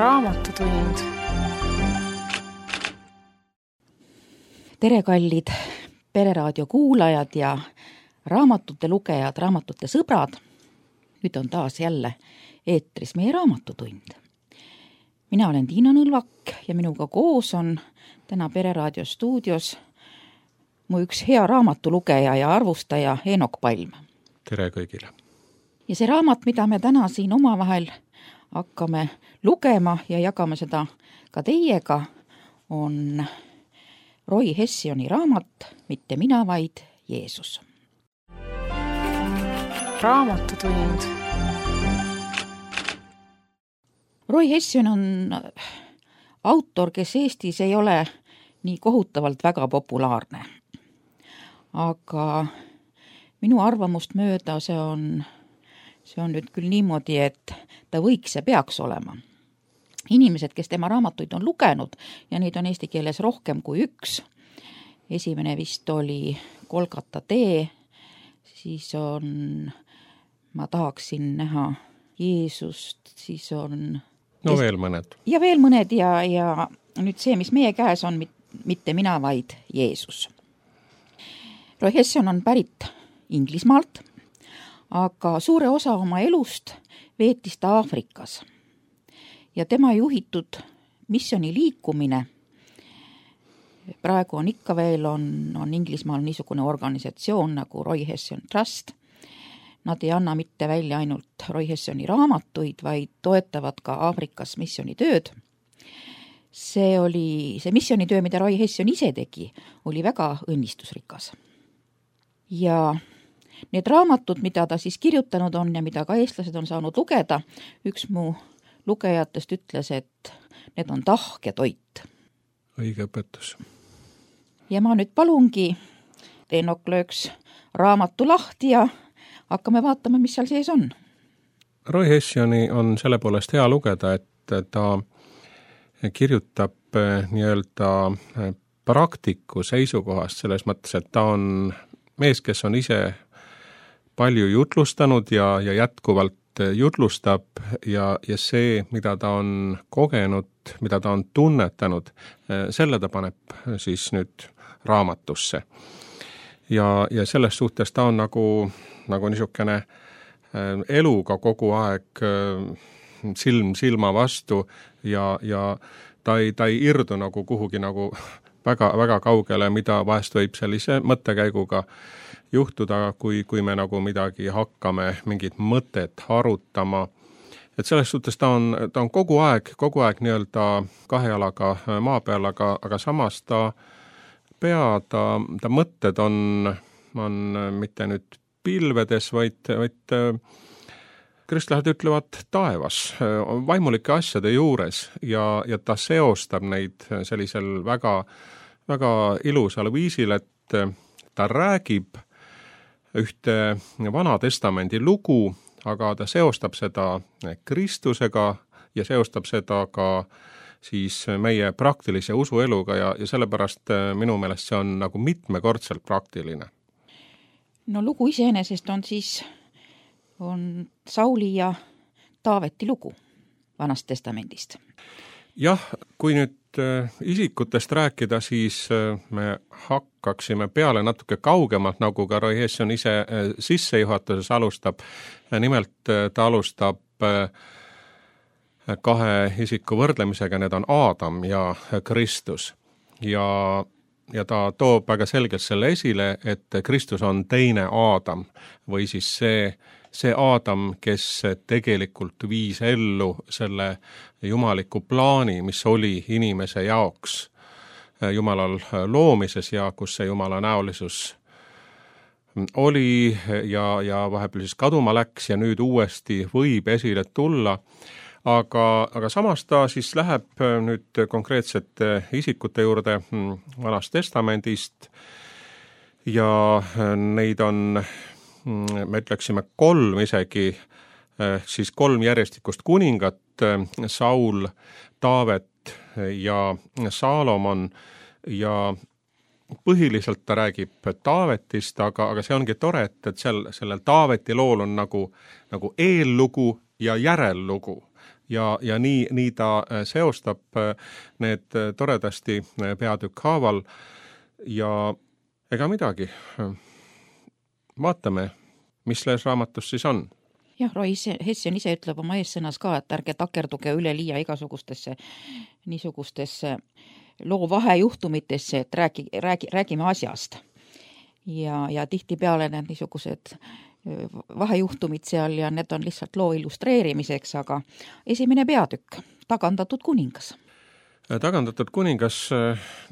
Raamatutund. Tere, kallid Pereraadio kuulajad ja raamatute lugejad, raamatute sõbrad. Nüüd on taas jälle eetris meie raamatutund. Mina olen Tiina Nõlvak ja minuga koos on täna Pereraadio stuudios mu üks hea raamatulugeja ja arvustaja Eenok Palm. Tere kõigile! Ja see raamat, mida me täna siin omavahel hakkame lugema ja jagame seda ka teiega, on Roy Hessioni raamat Mitte mina, vaid Jeesus. Raamatutund. Roy Hession on autor, kes Eestis ei ole nii kohutavalt väga populaarne. Aga minu arvamust mööda see on nüüd küll niimoodi, et ta võiks ja peaks olema. Inimesed, kes tema raamatuid on lugenud, ja neid on eesti keeles rohkem kui üks. Esimene vist oli Golgata tee, siis on Ma tahaksin näha Jeesust, siis on... No veel mõned. Ja veel mõned ja nüüd see, mis meie käes on, mitte mina, vaid Jeesus. Roy Hession on pärit Inglismaalt, aga suure osa oma elust veetis ta Aafrikas. Ja tema juhitud missiooni liikumine, praegu on ikka veel on Inglismaal niisugune organisatsioon nagu Roy Hession Trust. Nad ei anna mitte välja ainult Roy Hessioni raamatuid, vaid toetavad ka Aafrikas missioonitööd. See missioonitöö, mida Roy Hession ise tegi, oli väga õnnistusrikas. Ja need raamatud, mida ta siis kirjutanud on ja mida ka eestlased on saanud lugeda, üks mu lugejatest ütles, et need on tahk ja toit. Õige õpetus. Ja ma nüüd palungi, Eenok lööks raamatu lahti ja hakkame vaatama, mis seal sees on. Roy Hessioni on selle poolest hea lugeda, et ta kirjutab nii-öelda praktiku seisukohast selles mõttes, et ta on mees, kes on ise palju jutlustanud ja jätkuvalt jutlustab ja see, mida ta on kogenud, mida ta on tunnetanud, selle ta paneb siis nüüd raamatusse. Ja selles suhtes ta on nagu niisugune eluga kogu aeg silm silma vastu ja ta ei irdu nagu kuhugi nagu väga, väga kaugele, mida vahest võib sellise mõttekäiguga juhtuda, kui me nagu midagi hakkame, mingit mõtet harutama. Et selles suhtes ta on kogu aeg nii-öelda kahe jalaga maa peal, aga samas ta mõtted on mitte nüüd pilvedes, vaid kristlased ütlevad taevas, vaimulike asjade juures ja ta seostab neid sellisel väga, väga ilusal viisil, et ta räägib ühte Vana Testamendi lugu, aga ta seostab seda Kristusega ja seostab seda ka siis meie praktilise usueluga ja sellepärast minu meelest see on nagu mitmekordselt praktiline. No lugu iseenesest on Sauli ja Taaveti lugu Vanast Testamendist. Jah, kui nüüd isikutest rääkida, siis me hakkaksime peale natuke kaugemalt, nagu ka Roy Hession ise sissejuhatuses alustab. Nimelt ta alustab kahe isiku võrdlemisega, need on Aadam ja Kristus. Ja ta toob väga selgelt selle esile, et Kristus on teine Aadam või siis see Aadam, kes tegelikult viis ellu selle jumaliku plaani, mis oli inimese jaoks Jumalal loomises ja kus see Jumala näolisus oli ja vahepeal siis kaduma läks ja nüüd uuesti võib esile tulla. Aga samas ta siis läheb nüüd konkreetsete isikute juurde Vanast Testamendist ja neid on, me ütleksime 3 isegi, siis 3 järjestikust kuningat, Saul, Taavet ja Saalomon ja põhiliselt ta räägib Taavetist, aga see ongi tore, et sellel Taaveti lool on nagu eellugu ja järellugu. ja nii ta seostab need toredasti peatükk haaval ja ega midagi. Vaatame, mis selles raamatus siis on. Jah, Roy Hession ise ütleb oma eessõnas ka, et ärge takerduge üleliia igasugustesse niisugustesse loo vahejuhtumitesse, et räägime asjast. Ja tihtipeale need niisugused vahejuhtumid seal ja need on lihtsalt loo illustreerimiseks, aga esimene peatükk, tagandatud kuningas. Tagandatud kuningas,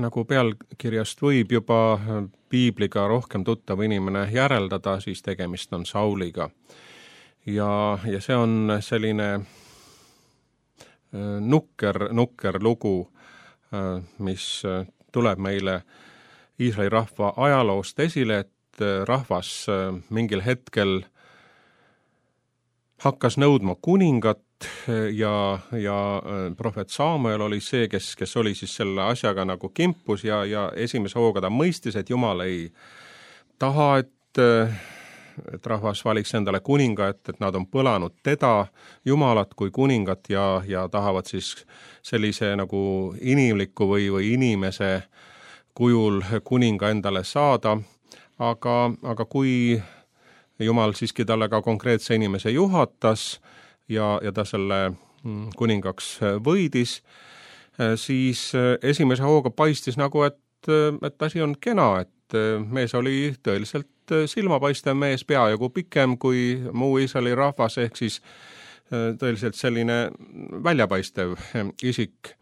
nagu pealkirjast võib juba piibliga rohkem tuttav inimene järeldada, siis tegemist on Sauliga. Ja see on selline nukker lugu, mis tuleb meile Iisraeli rahva ajaloost esile, et rahvas mingil hetkel hakkas nõudma kuningat ja prohvet Samuel oli see, kes oli siis selle asjaga nagu kimpus ja esimese hooga ta mõistis, et Jumal ei taha, et rahvas valiks endale kuninga, et nad on põlanud teda, Jumalat kui kuningat ja tahavad siis sellise nagu inimliku või inimese kujul kuninga endale saada, aga kui Jumal siiski talle ka konkreetse inimese juhatas ja ta selle kuningaks võidis, siis esimese hooga paistis nagu, et asi on kena, et mees oli tõeliselt silmapaistev mees, peajagu pikem kui muu Iisraeli rahvas, ehk siis tõeliselt selline väljapaistev isik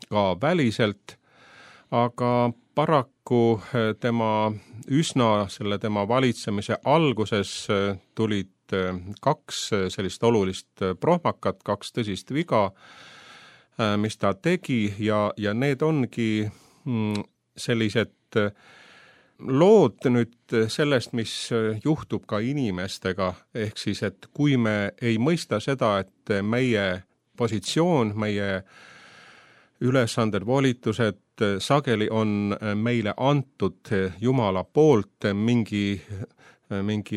ka väliselt, aga paraku tema valitsemise alguses tulid kaks sellist olulist prohmakat, kaks tõsist viga, mis ta tegi ja need ongi sellised lood nüüd sellest, mis juhtub ka inimestega, ehk siis, et kui me ei mõista seda, et meie positsioon, meie ülesanded, volitused sageli on meile antud Jumala poolt mingi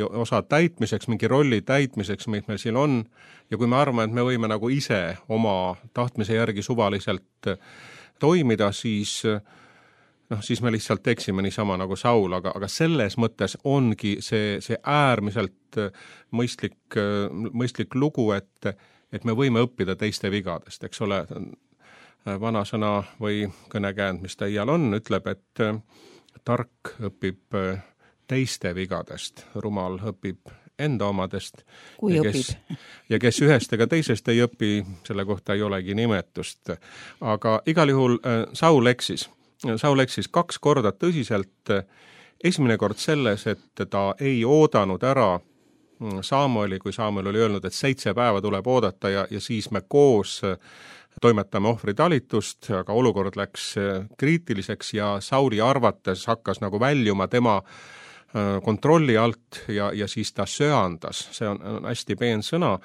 osa täitmiseks, mingi rolli täitmiseks, mis meil siin on, ja kui me arvame, et me võime nagu ise oma tahtmise järgi suvaliselt toimida, siis me lihtsalt eksime niisama nagu Saul, aga selles mõttes ongi see äärmiselt mõistlik lugu, et me võime õppida teiste vigadest, eks ole. Vanasõna või kõnekäänd, mis ta iial on, ütleb, et tark õpib teiste vigadest, rumal õpib enda omadest. Ja kes ühest ega teisest ei õpi, selle kohta ei olegi nimetust. Aga igal juhul Saul eksis 2 korda tõsiselt. Esimene kord selles, et ta ei oodanud ära Samueli, kui Samuel oli öelnud, et 7 päeva tuleb oodata ja siis me koos toimetame ohvritalitust, aga olukord läks kriitiliseks ja Sauli arvates hakkas nagu väljuma tema kontrolli alt ja siis ta söandas. See on hästi peen sõna,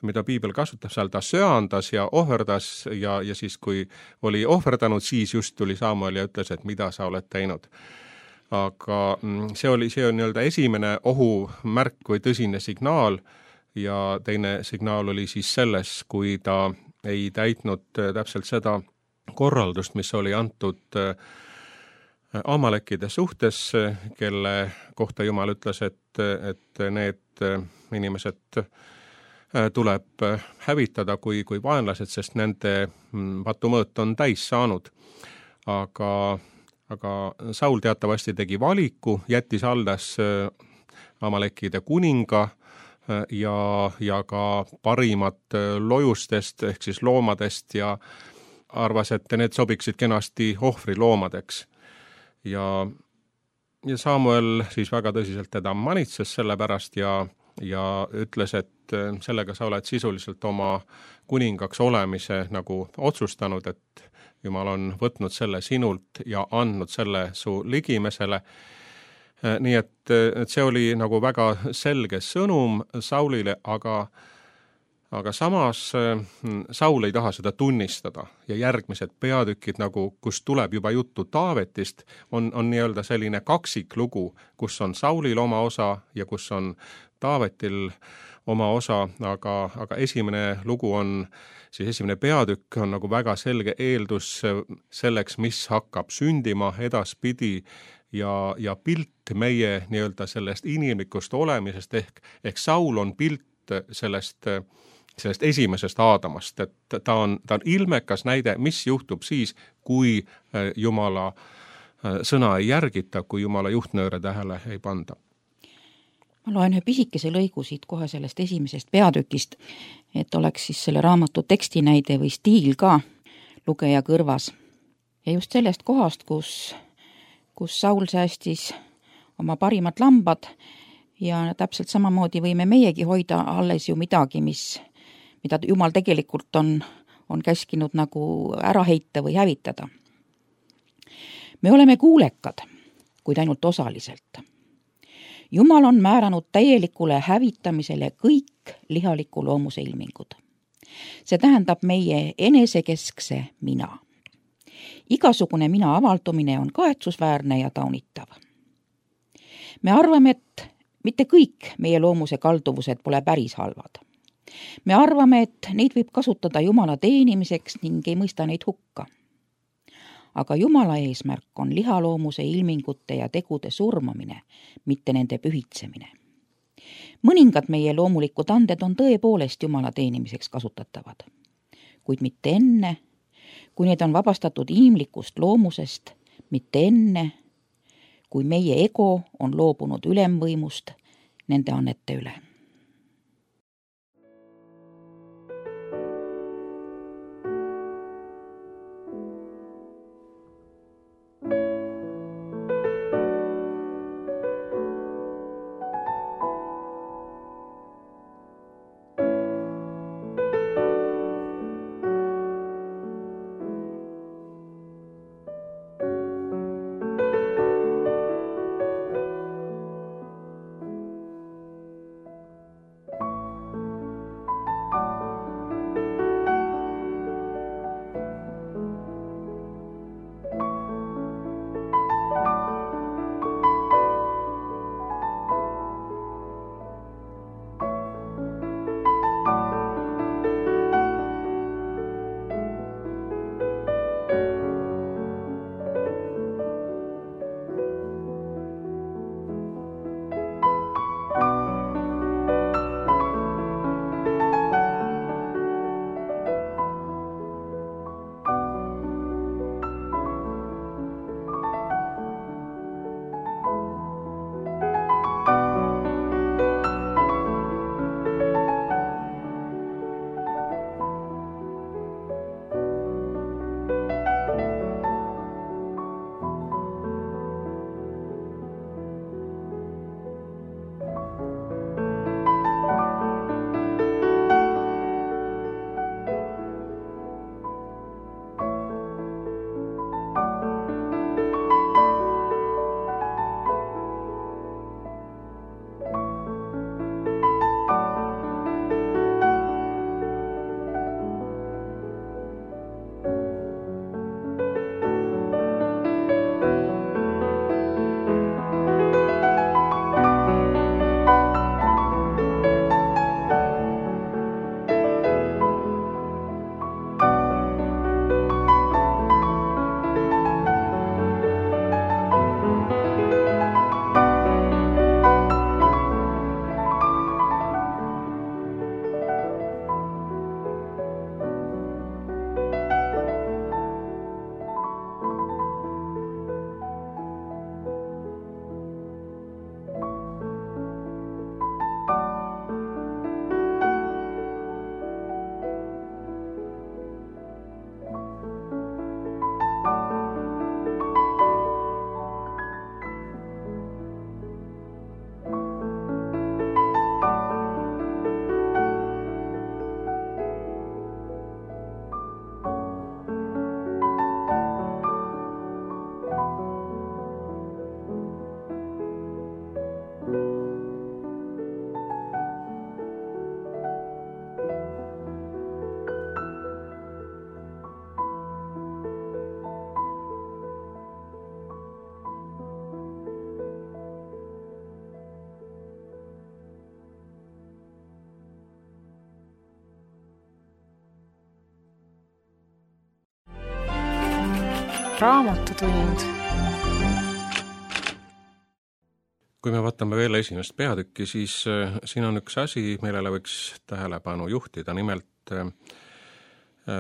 mida piibel kasutab seal, ta söandas ja ohverdas ja siis, kui oli ohverdanud, siis just tuli Samuel ja ütles, et mida sa oled teinud. Aga see on nii-öelda esimene ohumärk või tõsine signaal ja teine signaal oli siis selles, kui ta ei täitnud täpselt seda korraldust, mis oli antud Amalekide suhtes, kelle kohta Jumal ütles, et need inimesed tuleb hävitada kui vaenlased, sest nende patumõõt on täis saanud. Aga Saul teatavasti tegi valiku, jättis alles Amalekide kuninga ja ka parimat lojustest ehk siis loomadest ja arvas, et need sobiksid kenasti ohvriloomadeks. Ja Samuel siis väga tõsiselt teda manitses selle pärast ja ütles, et sellega sa oled sisuliselt oma kuningaks olemise nagu otsustanud, et Jumal on võtnud selle sinult ja andnud selle su ligimesele. Nii et see oli nagu väga selge sõnum Saulile, aga samas Saul ei taha seda tunnistada ja järgmised peatükid, nagu, kus tuleb juba juttu Taavetist, on nii-öelda selline kaksiklugu, kus on Saulil oma osa ja kus on Taavetil oma osa, aga esimene lugu on, siis esimene peatükk on nagu väga selge eeldus selleks, mis hakkab sündima edaspidi ja pilt meie nii-öelda sellest inimlikust olemisest ehk Saul on pilt sellest esimesest Aadamast, et ta on ilmekas näide, mis juhtub siis, kui Jumala sõna ei järgita, kui Jumala juhtnööre tähele ei panda. Ma loen ühe pisikese lõigu siit kohe sellest esimesest peatükist, et oleks siis selle raamatu tekstinäide või stiil ka lugeja kõrvas. Ja just sellest kohast, kus Saul säästis oma parimad lambad ja täpselt samamoodi võime meiegi hoida alles ju midagi, mida Jumal tegelikult on käskinud nagu ära heita või hävitada. Me oleme kuulekad, kuid ainult osaliselt. Jumal on määranud täielikule hävitamisele kõik lihaliku loomuse ilmingud. See tähendab meie enesekeskse mina. Igasugune mina avaldumine on kahetsusväärne ja taunitav. Me arvame, et mitte kõik meie loomuse kalduvused pole päris halvad. Me arvame, et neid võib kasutada Jumala teenimiseks ning ei mõista neid hukka. Aga Jumala eesmärk on lihaloomuse ilmingute ja tegude surmamine, mitte nende pühitsemine. Mõningad meie loomulikud anded on tõepoolest Jumala teenimiseks kasutatavad, kuid mitte enne, kui need on vabastatud inimlikust loomusest, mitte enne, kui meie ego on loobunud ülemvõimust nende annete üle. Raamatutund. Kui me vaatame veel esimest peatükki, siis siin on üks asi, millele võiks tähelepanu juhtida. Nimelt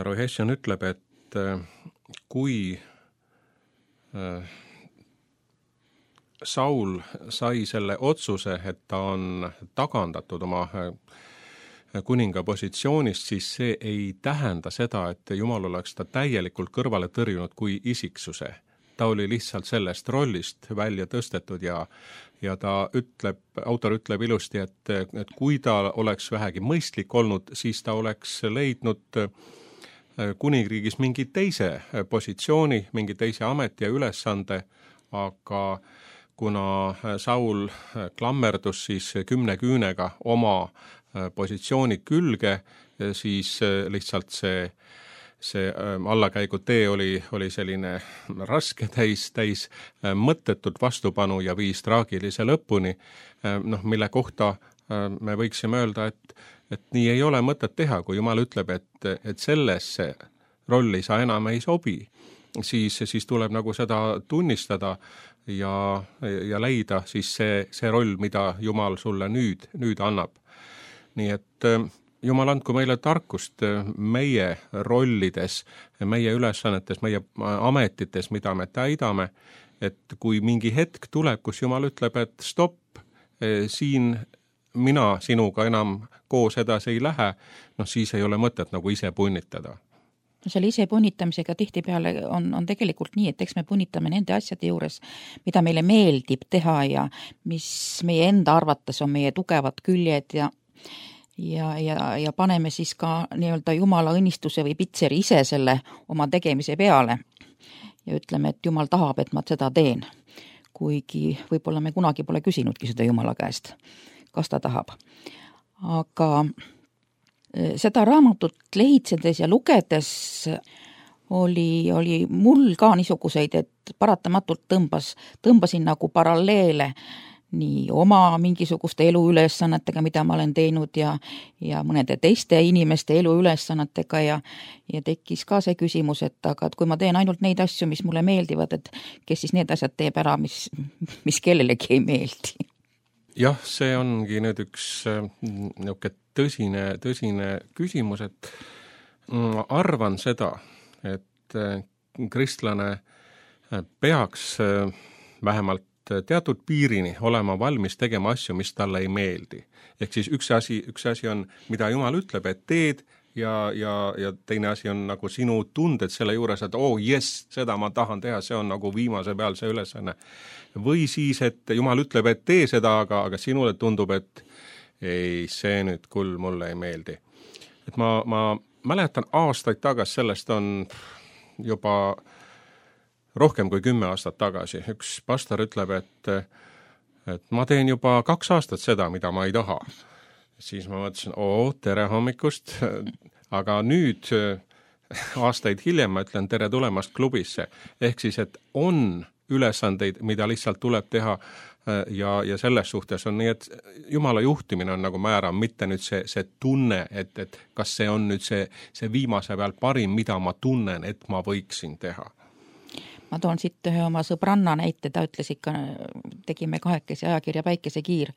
Roy Hession ütleb, et kui Saul sai selle otsuse, et ta on tagandatud oma kuninga positsioonist, siis see ei tähenda seda, et Jumal oleks ta täielikult kõrvale tõrjunud kui isiksuse. Ta oli lihtsalt sellest rollist välja tõstetud ja ta ütleb, autor ütleb ilusti, et kui ta oleks vähegi mõistlik olnud, siis ta oleks leidnud kuningriigis mingi teise positsiooni, mingi teise ameti ja ülesande, aga kuna Saul klammerdus siis 10 küünega oma positsiooni külge, siis lihtsalt see allakäigutee oli selline raske, täis mõttetut vastupanu ja viis traagilise lõpuni, mille kohta me võiksime öelda, et nii ei ole mõtet teha, kui Jumal ütleb, et sellesse rolli sa enam ei sobi, siis tuleb nagu seda tunnistada ja leida siis see roll, mida Jumal sulle nüüd annab. Nii et Jumal andku meile tarkust meie rollides, meie ülesannetes, meie ametites, mida me täidame, et kui mingi hetk tuleb, kus Jumal ütleb, et stopp, siin mina sinuga enam koos edasi ei lähe, siis ei ole mõtet nagu ise punnitada. Selle ise punnitamisega tihtipeale on tegelikult nii, et eks me punnitame nende asjade juures, mida meile meeldib teha ja mis meie enda arvates on meie tugevad küljed ja paneme siis ka nii-öelda Jumala õnnistuse või pitseri ise selle oma tegemise peale ja ütleme, et Jumal tahab, et ma seda teen. Kuigi võib-olla me kunagi pole küsinudki seda Jumala käest, kas ta tahab. Aga seda raamatut lehitsedes ja lugedes oli mul ka niisuguseid, et paratamatult tõmbasin nagu paralleele nii oma mingisuguste eluülesannetega, mida ma olen teinud ja mõnede teiste inimeste eluülesannetega ja tekkis ka see küsimus, et kui ma teen ainult neid asju, mis mulle meeldivad, et kes siis need asjad teeb ära, mis kellelegi ei meeldi. Jah, see ongi nüüd üks tõsine küsimus, et ma arvan seda, et kristlane peaks vähemalt teatud piirini olema valmis tegema asju, mis talle ei meeldi. Ehk siis üks asi on, mida Jumal ütleb, et teed ja teine asi on nagu sinu tunded selle juures, et seda ma tahan teha, see on nagu viimase peal see ülesanne. Või siis, et Jumal ütleb, et tee seda, aga sinule tundub, et ei, see nüüd küll mulle ei meeldi. Et ma mäletan aastaid tagasi, sellest on juba rohkem kui 10 aastat tagasi. Üks pastor ütleb, et ma teen juba 2 aastat seda, mida ma ei taha. Siis ma mõtlesin, tere hommikust, aga nüüd aastaid hiljem ma ütlen tere tulemast klubisse. Ehk siis, et on ülesandeid, mida lihtsalt tuleb teha ja selles suhtes on nii, et Jumala juhtimine on nagu määrav, mitte nüüd see tunne, et kas see on nüüd see viimase peal parim, mida ma tunnen, et ma võiksin teha. Ma toon siit ühe oma sõbranna näite, ta ütles ikka, tegime 2 ajakirja Päikesekiir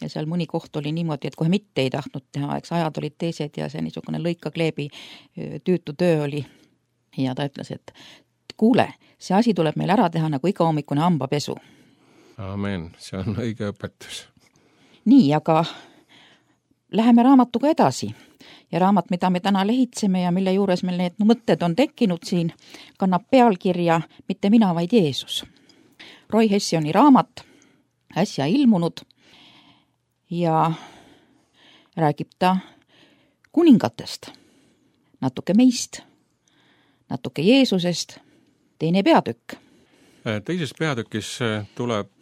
ja seal mõni koht oli niimoodi, et kohe mitte ei tahtnud teha, eks ajad olid teised ja see niisugune lõika-kleebi tüütu töö oli. Ja ta ütles, et kuule, see asi tuleb meil ära teha nagu iga hommikune hambapesu. Amen, see on õige õpetus. Nii, aga läheme raamatuga edasi. Ja raamat, mida me täna lehitseme ja mille juures meil need mõtted on tekkinud siin, kannab pealkirja Mitte mina, vaid Jeesus. Roy Hessioni raamat, äsja ilmunud ja räägib ta kuningatest, natuke meist, natuke Jeesusest, teine peatükk. Teises peatükis tuleb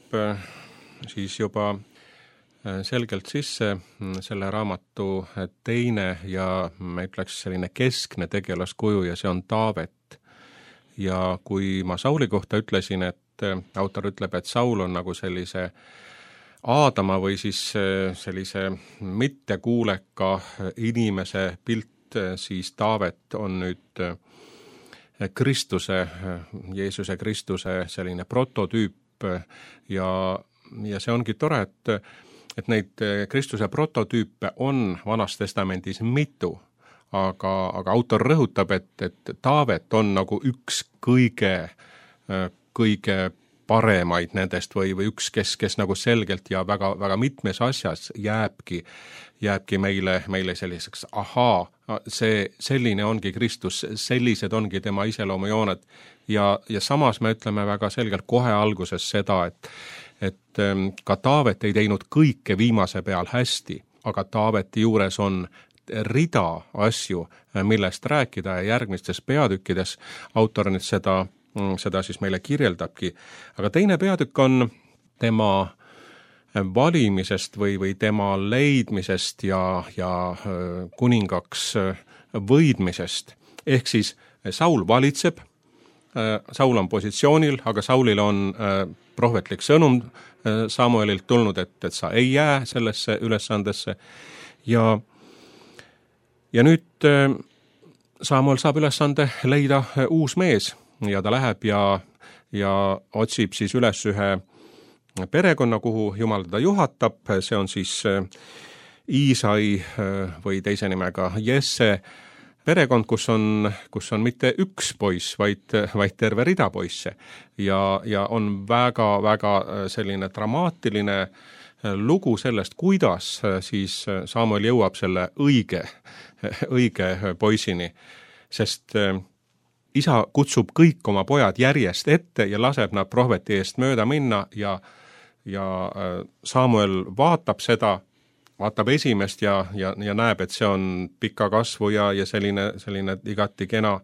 siis juba selgelt sisse selle raamatu teine ja me ütleks selline keskne tegelaskuju ja see on Taavet. Ja kui ma Sauli kohta ütlesin, et autor ütleb, et Saul on nagu sellise Aadama või siis sellise mittekuuleka inimese pilt, siis Taavet on nüüd Kristuse, Jeesuse Kristuse selline prototüüp ja see ongi tore, et neid Kristuse prototüüpe on Vanas Testamendis mitu, aga autor rõhutab, et Taavet on nagu üks kõige paremaid nendest või üks, kes nagu selgelt ja väga, väga mitmes asjas jääbki meile selliseks, selline ongi Kristus, sellised ongi tema iseloomujooned ja samas me ütleme väga selgelt kohe alguses seda, et ka Taavet ei teinud kõike viimase peal hästi, aga Taaveti juures on rida asju, millest rääkida ja järgmistes peatükkides autor nüüd seda siis meile kirjeldabki. Aga teine peatükk on tema valimisest või tema leidmisest ja kuningaks võidmisest. Ehk siis Saul valitseb, Saul on positsioonil, aga Saulil on prohvetlik sõnum Samuelilt tulnud, et sa ei jää sellesse ülesandesse ja nüüd Samuel saab ülesande leida uus mees ja ta läheb ja otsib siis üles ühe perekonna, kuhu Jumal teda juhatab, see on siis Iisai või teise nimega Jesse perekond, kus on mitte üks poiss, vaid terve rida poisse ja on väga selline dramaatiline lugu sellest, kuidas siis Samuel jõuab selle õige poisini, sest isa kutsub kõik oma pojad järjest ette ja laseb nad prohveti eest mööda minna ja Samuel vaatab esimest ja näeb, et see on pika kasvu ja selline igati kena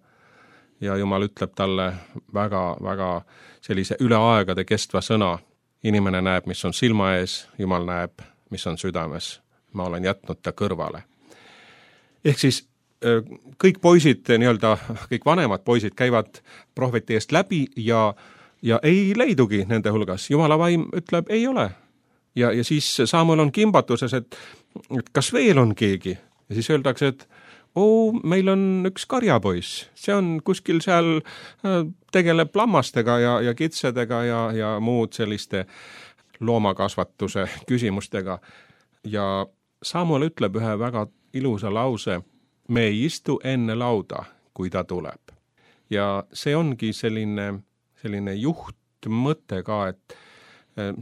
ja Jumal ütleb talle väga sellise üle aegade kestva sõna. Inimene näeb, mis on silma ees, Jumal näeb, mis on südames. Ma olen jätnud ta kõrvale. Ehk siis kõik poisid, kõik vanemad poisid käivad prohveti eest läbi ja ei leidugi nende hulgas. Jumala vaim ütleb, ei ole. Ja siis Samuel on kimbatuses, et kas veel on keegi? Ja siis öeldakse, et meil on üks karjapoiss. See on kuskil seal, tegeleb lammastega ja kitsedega ja muud selliste loomakasvatuse küsimustega. Ja Samuel ütleb ühe väga ilusa lause, me ei istu enne lauda, kui ta tuleb. Ja see ongi selline juhtmõte ka, et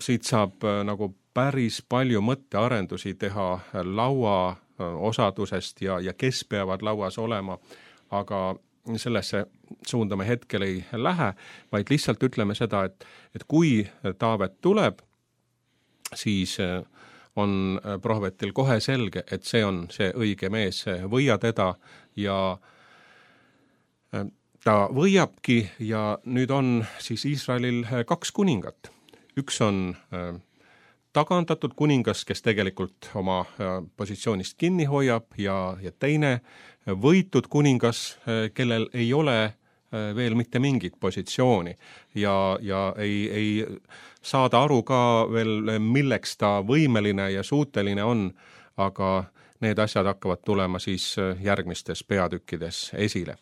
siit saab nagu päris palju mõttearendusi teha laua osadusest ja kes peavad lauas olema, aga sellesse suunda me hetkel ei lähe, vaid lihtsalt ütleme seda, et kui Taavet tuleb, siis on prohvetil kohe selge, et see on see õige mees, võia teda ja ta võiabki ja nüüd on siis Iisraelil kaks kuningat. Üks on tagandatud kuningas, kes tegelikult oma positsioonist kinni hoiab ja teine võitud kuningas, kellel ei ole veel mitte mingit positsiooni ja ei saada aru ka veel, milleks ta võimeline ja suuteline on, aga need asjad hakkavad tulema siis järgmistes peatükkides esile.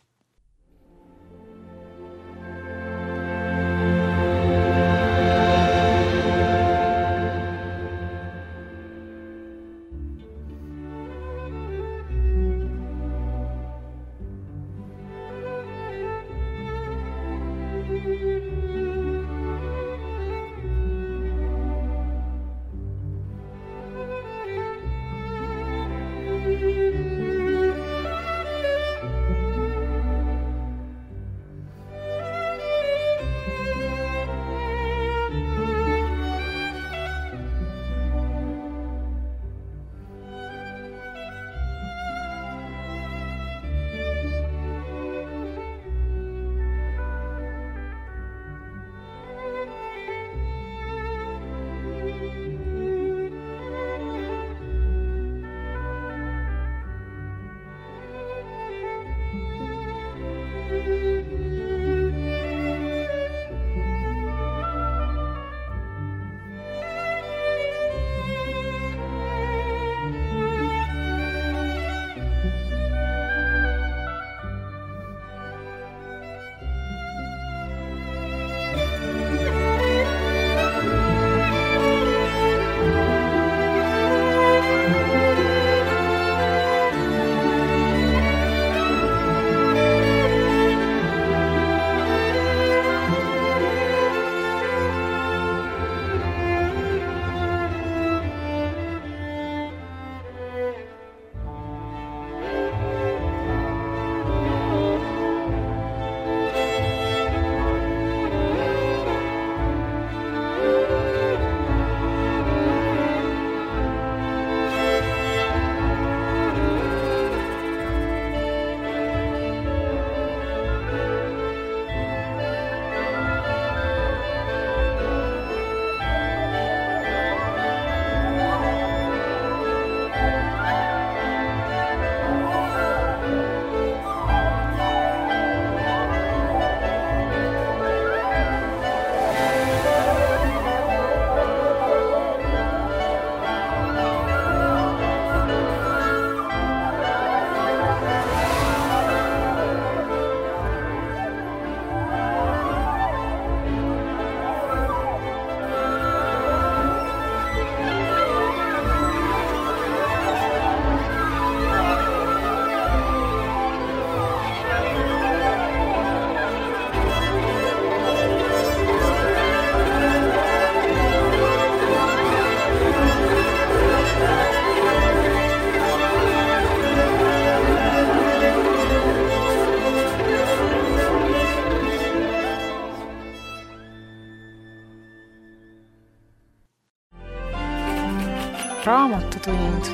Raamatutund.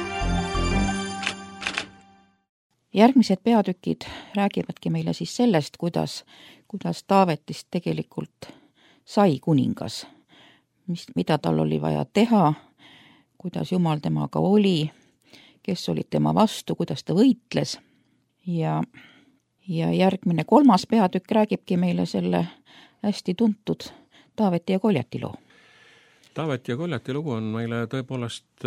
Järgmised peatükid räägivadki meile siis sellest, kuidas Taavetist tegelikult sai kuningas, mida tal oli vaja teha, kuidas Jumal temaga oli, kes olid tema vastu, kuidas ta võitles. Ja järgmine 3. peatükk räägibki meile selle hästi tuntud Taaveti ja Koljati loo. Taaveti ja Koljati lugu on meile tõepoolest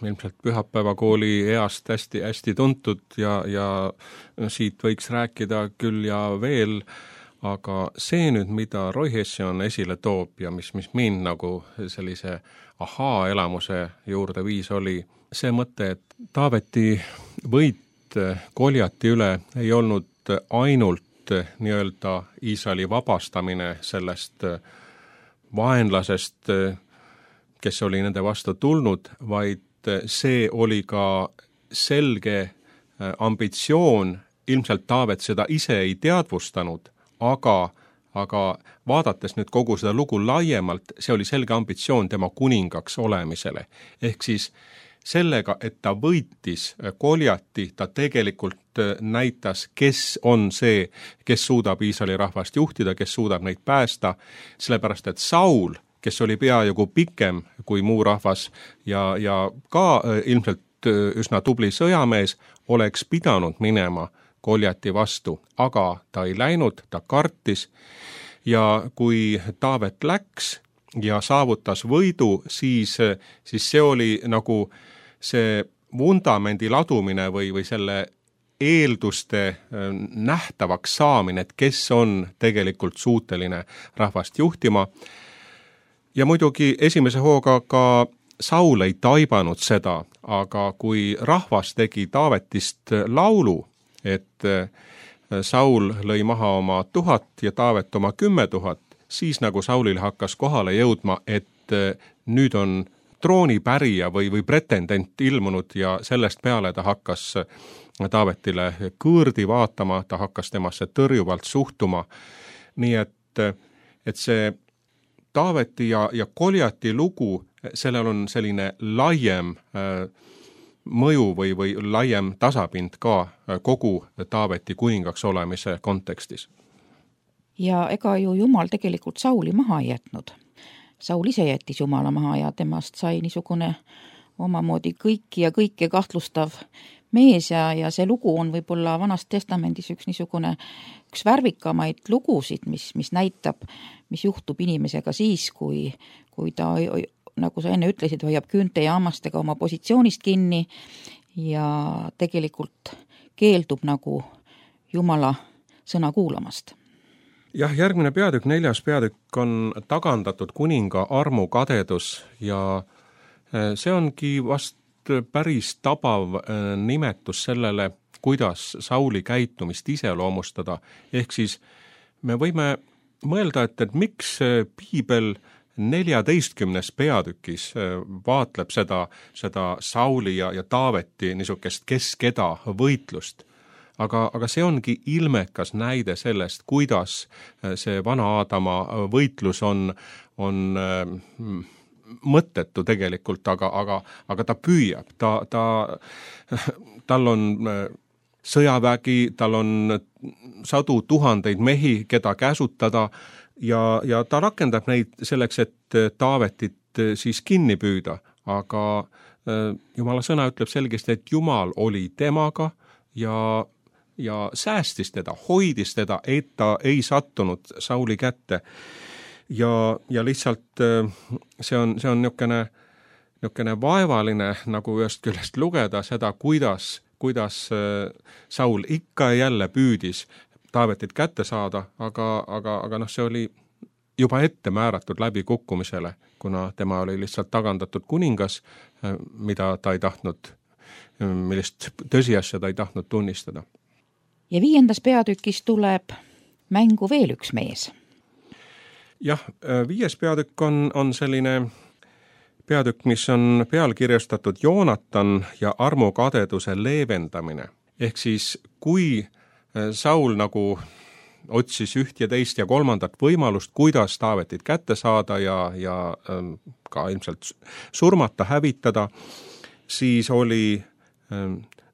ilmselt pühapäevakooli east hästi tuntud ja siit võiks rääkida küll ja veel, aga see nüüd, mida Roy Hession esile toob ja mis mind nagu sellise ahaa-elamuse juurde viis, oli see mõte, et Taaveti võit Koljati üle ei olnud ainult nii-öelda Iisraeli vabastamine sellest vaenlasest, kes oli nende vastu tulnud, vaid see oli ka selge ambitsioon, ilmselt Taavet seda ise ei teadvustanud, aga vaadates nüüd kogu seda lugu laiemalt, see oli selge ambitsioon tema kuningaks olemisele. Ehk siis sellega, et ta võitis Koljati, ta tegelikult näitas, kes on see, kes suudab Iisraeli rahvast juhtida, kes suudab neid päästa, sellepärast et Saul, kes oli peaaegu pikem kui muu rahvas ja ka ilmselt üsna tubli sõjamees, oleks pidanud minema Koljati vastu, aga ta ei läinud, ta kartis ja kui Taavet läks ja saavutas võidu, siis see oli nagu see vundamendi ladumine või selle eelduste nähtavaks saamine, et kes on tegelikult suuteline rahvast juhtima. Ja muidugi esimese hooga ka Saul ei taibanud seda, aga kui rahvas tegi Taavetist laulu, et Saul lõi maha oma 1000 ja Taavet oma 10 000, siis nagu Saulil hakkas kohale jõudma, et nüüd on troonipärija või pretendent ilmunud ja sellest peale ta hakkas Taavetile kõõrdi vaatama, ta hakkas temasse tõrjuvalt suhtuma. Nii et see Taaveti ja Koljati lugu, sellel on selline laiem mõju või laiem tasapind ka kogu Taaveti kuningaks olemise kontekstis. Ja ega ju Jumal tegelikult Sauli maha ei jätnud. Saul ise jättis Jumala maha ja temast sai niisugune omamoodi kõike kahtlustav mees ja see lugu on võib-olla Vanas Testamendis üks värvikamaid lugusid, mis näitab, mis juhtub inimesega siis, kui ta, nagu sa enne ütlesid, hoiab küünte ja hammastega oma positsioonist kinni ja tegelikult keeldub nagu Jumala sõna kuulamast. Jah, järgmine peatükk, 4. peatükk on tagandatud kuninga armukadedus ja see ongi vast päris tabav nimetus sellele, kuidas Sauli käitumist iseloomustada. Ehk siis me võime mõelda, et miks piibel 14. peatükis vaatleb seda Sauli ja Taaveti niisugust kes-keda võitlust. Aga see ongi ilmekas näide sellest, kuidas see vana Aadama võitlus on mõttetu tegelikult, aga ta püüab, tal on sõjavägi, tal on sadu tuhandeid mehi, keda käsutada ja ta rakendab neid selleks, et Taavetit siis kinni püüda, aga Jumala sõna ütleb selgesti, et Jumal oli temaga ja säästis teda, hoidis teda, et ta ei sattunud Sauli kätte. Ja lihtsalt see on niisugune vaevaline nagu ühest küljest lugeda seda, kuidas Saul ikka ja jälle püüdis Taavetit kätte saada, aga see oli juba ette määratud läbikukkumisele, kuna tema oli lihtsalt tagandatud kuningas, mida ta ei tahtnud, millist tõsiasja ta ei tahtnud tunnistada. Ja 5. peatükis tuleb mängu veel üks mees. Jah, 5. peatükk on selline peatükk, mis on pealkirjastatud Joonatan ja armukadeduse leevendamine. Ehk siis, kui Saul nagu otsis üht ja teist ja kolmandat võimalust, kuidas Taavetit kätte saada ja ka ilmselt surmata, hävitada, siis oli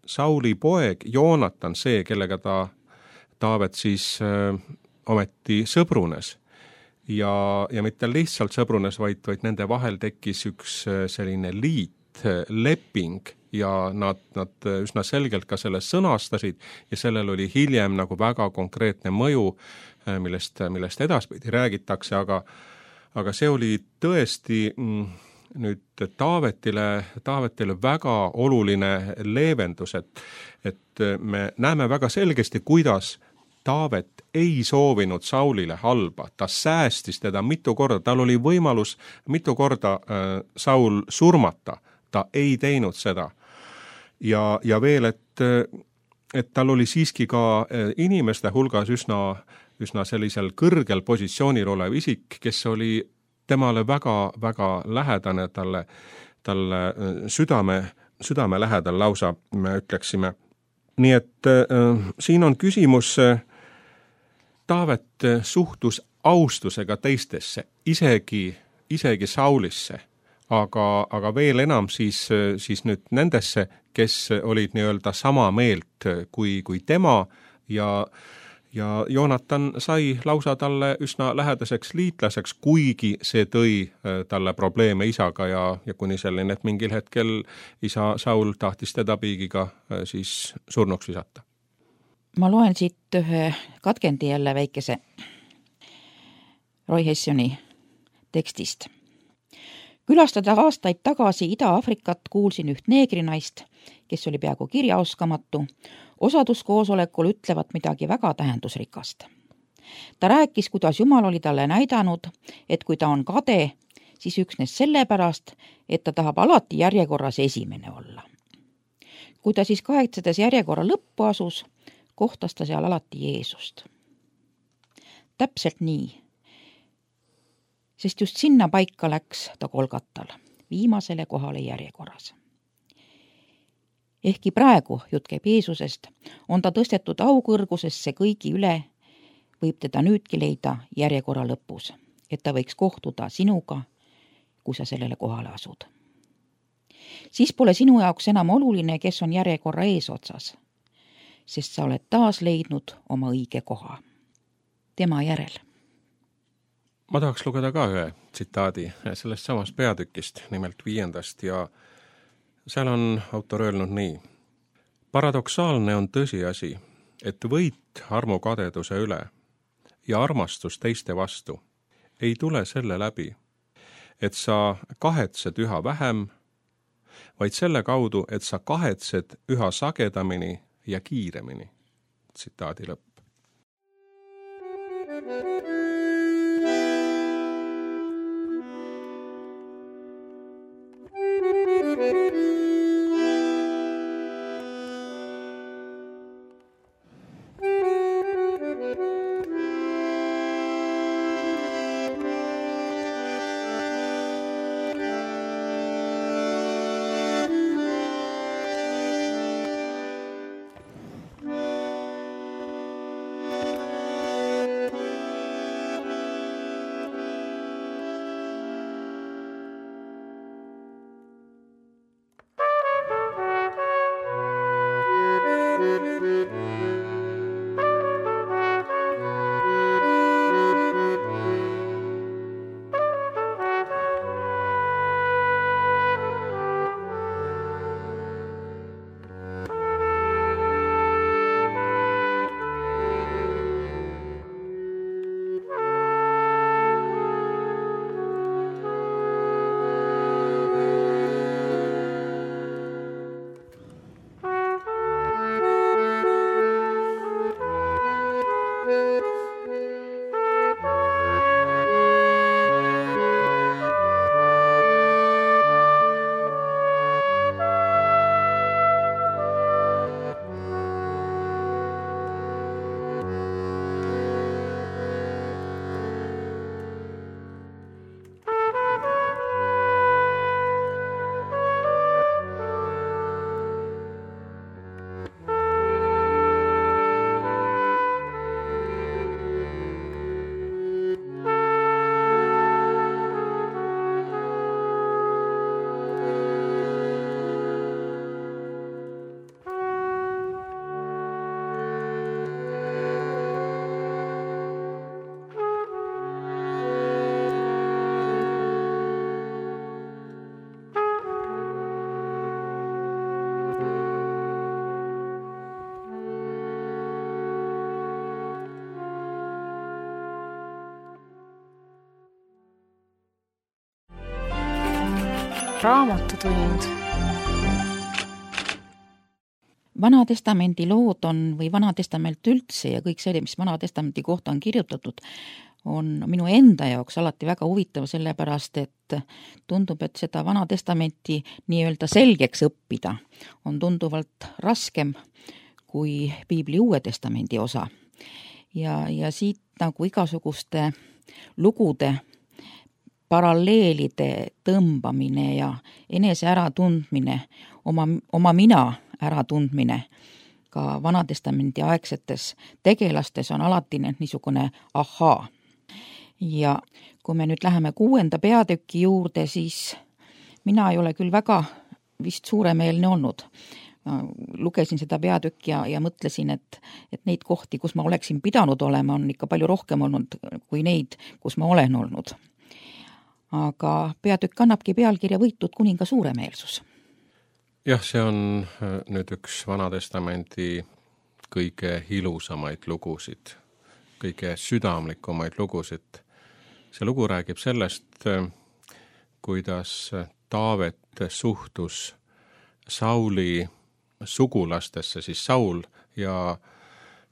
Sauli poeg Joonatan see, kellega Taavet siis ometi sõbrunes. Ja mitte lihtsalt sõbrunes, vaid nende vahel tekkis üks selline liit, leping ja nad üsna selgelt ka selle sõnastasid ja sellel oli hiljem nagu väga konkreetne mõju, millest edaspidi räägitakse, aga see oli tõesti nüüd Taavetile väga oluline leevendus, et me näeme väga selgesti, kuidas Taavet ei soovinud Saulile halba, ta säästis teda mitu korda, tal oli võimalus mitu korda Saul surmata, ta ei teinud seda. Ja veel, et tal oli siiski ka inimeste hulgas üsna sellisel kõrgel positsioonil olev isik, kes oli temale väga lähedane, talle südame lähedal lausa, me ütleksime. Nii et siin on küsimus, Taavet suhtus austusega teistesse, isegi Saulisse, aga veel enam siis nüüd nendesse, kes olid nii-öelda sama meelt kui tema ja Joonatan sai lausa talle üsna lähedaseks liitlaseks, kuigi see tõi talle probleeme isaga ja kuni selline, et mingil hetkel isa Saul tahtis teda piigiga siis surnuks visata. Ma loen siit ühe katkendi jälle väikese Roy Hessioni tekstist. Külastada aastaid tagasi Ida-Afrikat kuulsin üht neegrinaist, kes oli peaaegu kirjaoskamatu, osaduskoosolekul ütlevat midagi väga tähendusrikast. Ta rääkis, kuidas Jumal oli talle näidanud, et kui ta on kade, siis üksnes sellepärast, et ta tahab alati järjekorras esimene olla. Kui ta siis kahetsedes järjekorra lõppu asus, kohtas ta seal alati Jeesust. Täpselt nii, sest just sinna paika läks ta Golgatal, viimasele kohale järjekorras. Ehkki praegu jutt käib Jeesusest, on ta tõstetud aukõrgusesse kõigi üle, võib teda nüüdki leida järjekorra lõpus, et ta võiks kohtuda sinuga, kui sa sellele kohale asud. Siis pole sinu jaoks enam oluline, kes on järjekorra eesotsas, sest sa oled taas leidnud oma õige koha. Tema järel. Ma tahaks lugeda ka ühe tsitaadi sellest samast peatükist, nimelt 5. ja seal on autor öelnud nii. Paradoksaalne on tõsiasi, et võit armukadeduse üle ja armastus teiste vastu ei tule selle läbi, et sa kahetsed üha vähem, vaid selle kaudu, et sa kahetsed üha sagedamini ja kiiremini. Tsitaadi lõpp. Raamatutund. Vana-testamendi lood on, või Vana-testament üldse ja kõik see, mis Vana-testamendi kohta on kirjutatud, on minu enda jaoks alati väga huvitav, sellepärast et tundub, et seda Vana-testamenti nii-öelda selgeks õppida on tunduvalt raskem kui Piibli Uue Testamendi osa. Ja siit nagu igasuguste lugude paralleelide tõmbamine ja enese äratundmine, oma mina äratundmine ka Vana-testamendi aegsetes tegelastes on alati niisugune ahaa. Ja kui me nüüd läheme 6. peatüki juurde, siis mina ei ole küll väga vist suuremeelne olnud. Lugesin seda peatükki ja mõtlesin, et neid kohti, kus ma oleksin pidanud olema, on ikka palju rohkem olnud kui neid, kus ma olen olnud. Aga peatükk annabki pealkirja Võitud kuninga suuremeelsus. Jah, see on nüüd üks Vana-testamendi kõige ilusamaid lugusid, kõige südamlikumaid lugusid. See lugu räägib sellest, kuidas Taavet suhtus Sauli sugulastesse, siis Saul ja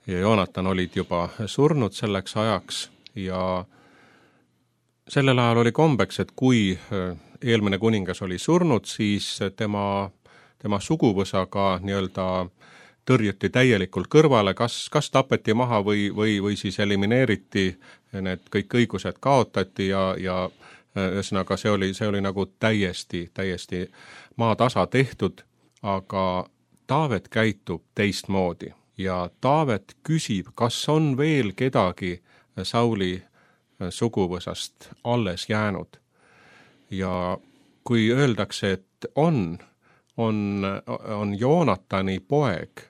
Joonatan olid juba surnud selleks ajaks ja sellel ajal oli kombeks, et kui eelmine kuningas oli surnud, siis tema suguvõsaga nii-öelda tõrjuti täielikult kõrvale, kas tapeti maha või siis elimineeriti, need kõik õigused kaotati ja ühesõnaga see oli nagu täiesti maatasa tehtud, aga Taavet käitub teistmoodi ja Taavet küsib, kas on veel kedagi Sauli suguvõsast alles jäänud. Ja kui öeldakse, et on Joonatani poeg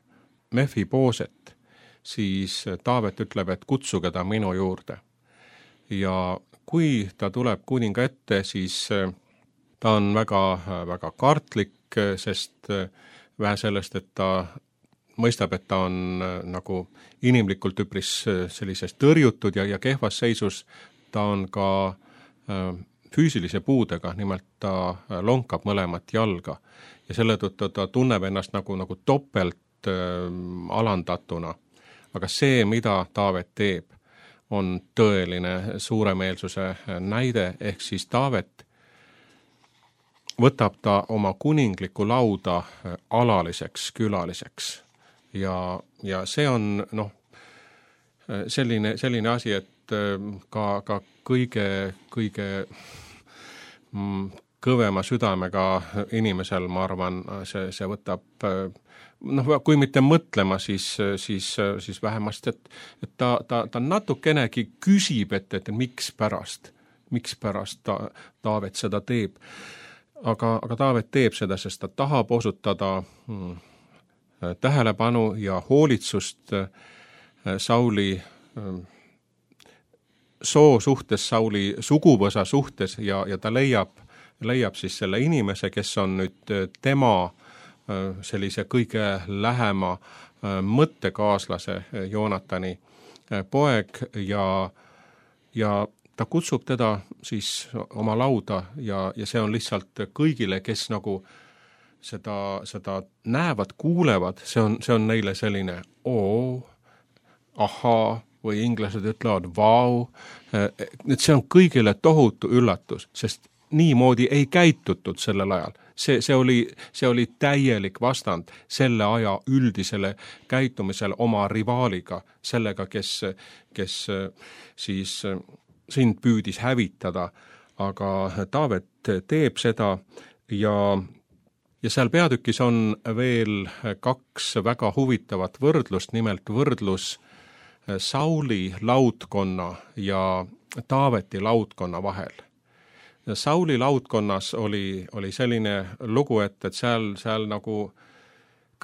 Mefibooset, siis Taavet ütleb, et kutsuge ta minu juurde. Ja kui ta tuleb kuninga ette, siis ta on väga kartlik, sest vähe sellest, et ta mõistab, et ta on nagu inimlikult üpris sellises tõrjutud ja kehvas seisus, ta on ka füüsilise puudega, nimelt ta lonkab mõlemat jalga ja selle tõttu ta tunneb ennast nagu topelt alandatuna. Aga see, mida Taavet teeb, on tõeline suuremeelsuse näide, ehk siis Taavet võtab ta oma kuningliku lauda alaliseks külaliseks ja see on selline asi, et ka kõige kõvema südamega inimesel, ma arvan, see võtab, kui mitte mõtlema, siis vähemasti, et ta natukenegi küsib, et miks pärast Taavet seda teeb. Aga Taavet teeb seda, sest ta tahab osutada tähelepanu ja hoolitsust Sauli soo suhtes, Sauli suguvõsa suhtes ja ta leiab siis selle inimese, kes on nüüd tema sellise kõige lähema mõttekaaslase Joonatani poeg ja ta kutsub teda siis oma lauda ja see on lihtsalt kõigile, kes nagu seda näevad, kuulevad, see on neile selline ahaa, või inglased ütlevad vau, et see on kõigile tohutu üllatus, sest niimoodi ei käitutud sellel ajal. See oli täielik vastand selle aja üldisele käitumisele oma rivaaliga, sellega, kes siis sind püüdis hävitada, aga Taavet teeb seda ja seal peatükis on veel 2 väga huvitavat võrdlust, nimelt võrdlus Sauli laudkonna ja Taaveti laudkonna vahel. Sauli laudkonnas oli selline lugu, et seal nagu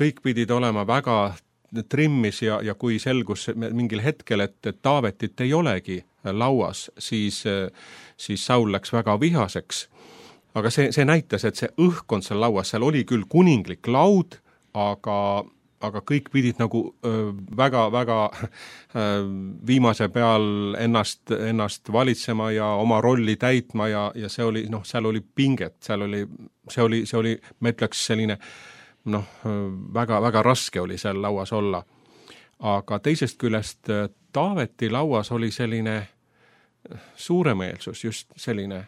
kõik pidid olema väga trimmis ja kui selgus mingil hetkel, et Taavetit ei olegi lauas, siis Saul läks väga vihaseks. Aga see näitas, et see õhkkond seal lauas, seal oli küll kuninglik laud, aga aga kõik pidid nagu väga-väga viimase peal ennast valitsema ja oma rolli täitma ja see oli, seal oli pinget, see oli, ma ütleks selline, väga-väga raske oli seal lauas olla. Aga teisest küljest Taaveti lauas oli selline suuremeelsus, just selline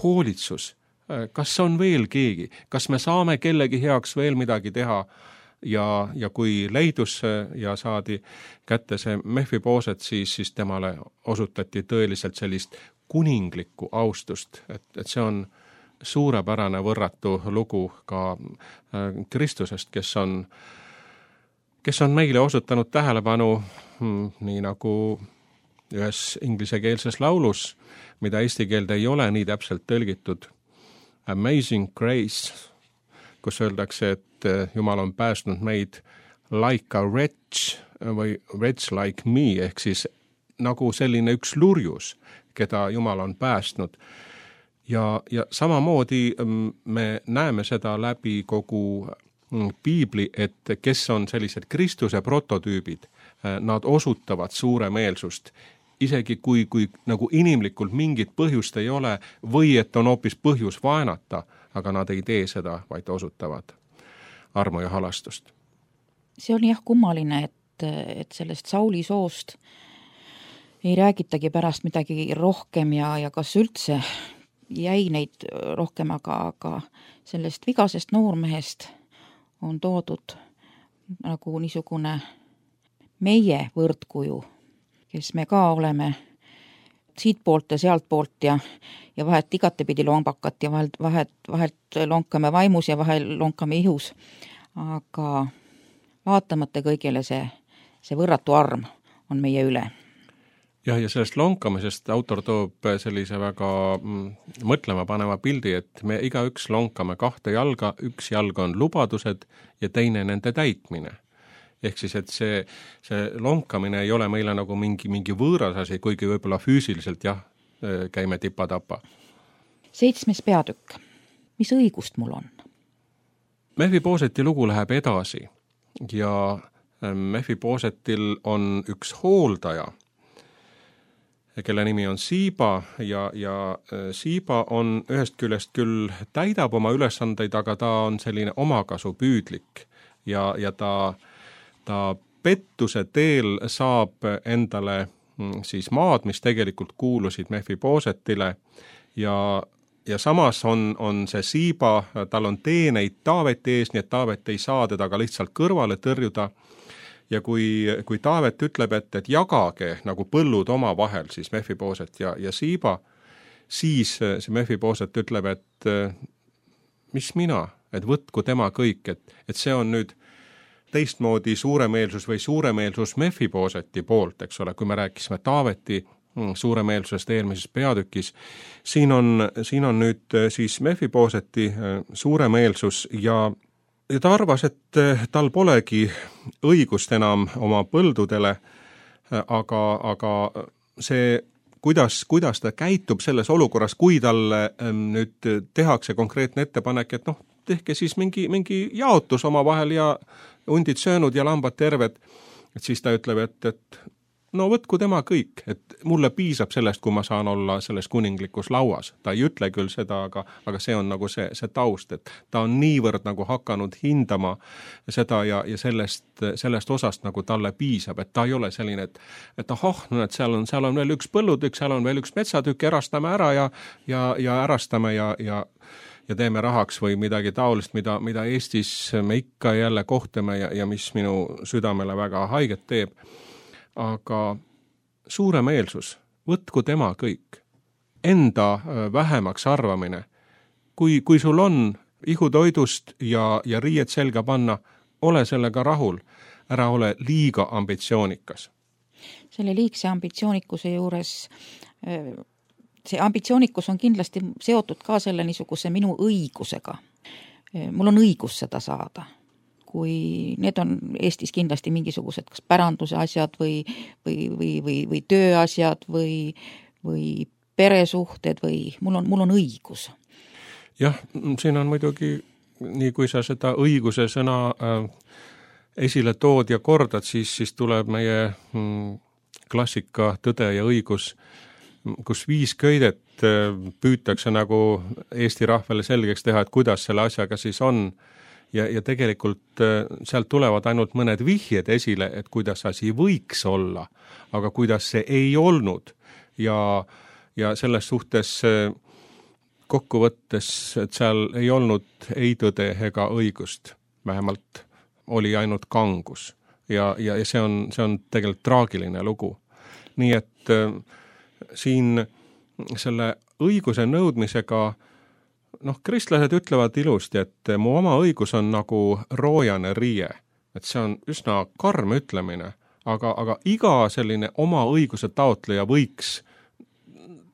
hoolitsus. Kas on veel keegi? Kas me saame kellegi heaks veel midagi teha? Ja kui leidus ja saadi kätte see Mephiboset, siis temale osutati tõeliselt sellist kuninglikku austust, et see on suurepärane võrratu lugu ka Kristusest, kes on meile osutanud tähelepanu, nii nagu ühes inglisekeelses laulus, mida eesti keelde ei ole nii täpselt tõlgitud, Amazing Grace, kus öeldakse, et Jumal on päästnud meid like a wretch või wretch like me, ehk siis nagu selline üks lurjus, keda Jumal on päästnud. Ja samamoodi me näeme seda läbi kogu piibli, et kes on sellised Kristuse prototüübid, nad osutavad suuremeelsust, isegi kui nagu inimlikult mingit põhjust ei ole või et on hoopis põhjus vaenata, aga nad ei tee seda, vaid osutavad armu ja halastust. See on jah kummaline, et sellest Sauli soost ei räägitagi pärast midagi rohkem ja kas üldse jäi neid rohkem, aga sellest vigasest noormehest on toodud nagu niisugune meie võrdkuju, kes me ka oleme siit poolt ja sealt poolt ja vahet igatepidi lombakat ja vahelt lonkame vaimus ja vahel lonkame ihus. Aga vaatamata kõigile see võrratu arm on meie üle. Ja sellest lonkamisest autor toob sellise väga mõtlema paneva pildi, et me igaüks lonkame 2 jalga, üks jalg on lubadused ja teine nende täitmine. Ehk siis, et see lonkamine ei ole meile nagu mingi võõras asi, kuigi võib-olla füüsiliselt käime tipa-tapa. 7. peatükk. Mis õigust mul on? Mephiboseti lugu läheb edasi ja Mephibosetil on üks hooldaja, kelle nimi on Siiba ja Siiba on ühest küljest küll täidab oma ülesandeid, aga ta on selline omakasupüüdlik ja ta pettuse teel saab endale siis maad, mis tegelikult kuulusid Mephibosetile ja samas on see Siiba, tal on teeneid Taaveti ees, nii et Taavet ei saa teda ka lihtsalt kõrvale tõrjuda ja kui Taavet ütleb, et jagage nagu põllud oma vahel, siis Mephiboset ja Siiba, siis see Mephiboset ütleb, et mis mina, et võtku tema kõik, et see on nüüd teistmoodi suuremeelsus või suuremeelsus Mephiboseti poolt, eks ole, kui me rääkisime Taaveti suuremeelsusest eelmises peatükis. Siin on nüüd siis Mephiboseti suuremeelsus ja ta arvas, et tal polegi õigust enam oma põldudele, aga see, kuidas ta käitub selles olukorras, kui talle nüüd tehakse konkreetne ettepanek, et tehke siis mingi jaotus oma vahel ja hundid söönud ja lambad terved, et siis ta ütleb, et no võtku tema kõik, et mulle piisab sellest, kui ma saan olla selles kuninglikus lauas. Ta ei ütle küll seda, aga see on nagu see taust, et ta on niivõrd nagu hakanud hindama seda ja sellest osast nagu talle piisab, et ta ei ole selline, et seal on veel üks põllutükk, seal on veel üks metsatükk, erastame ära ja ärastame ja teeme rahaks või midagi taolist, mida Eestis me ikka jälle kohtame ja mis minu südamele väga haiget teeb. Aga suuremeelsus, võtku tema kõik, enda vähemaks arvamine. Kui sul on ihutoidust ja riied selga panna, ole sellega rahul, ära ole liiga ambitsioonikas. Selle liigse ambitsioonikuse juures, see ambitsioonikus on kindlasti seotud ka selle niisuguse minu õigusega. Mul on õigus seda saada. Kui need on Eestis kindlasti mingisugused kas päranduse asjad või tööasjad või peresuhted või mul on õigus. Jah, siin on muidugi, nii kui sa seda õiguse sõna esile tood ja kordad, siis tuleb meie klassika Tõde ja õigus, kus 5 köidet püütakse nagu Eesti rahvale selgeks teha, et kuidas selle asjaga siis on. Ja tegelikult sealt tulevad ainult mõned vihjed esile, et kuidas asi võiks olla, aga kuidas see ei olnud. Ja selles suhtes kokkuvõttes, et seal ei olnud ei tõde ega õigust, vähemalt oli ainult kangus. Ja see on tegelikult traagiline lugu. Nii et siin selle õiguse nõudmisega, kristlased ütlevad ilusti, et mu oma õigus on nagu roojane riie. Et see on üsna karm ütlemine, aga iga selline oma õiguse taotleja võiks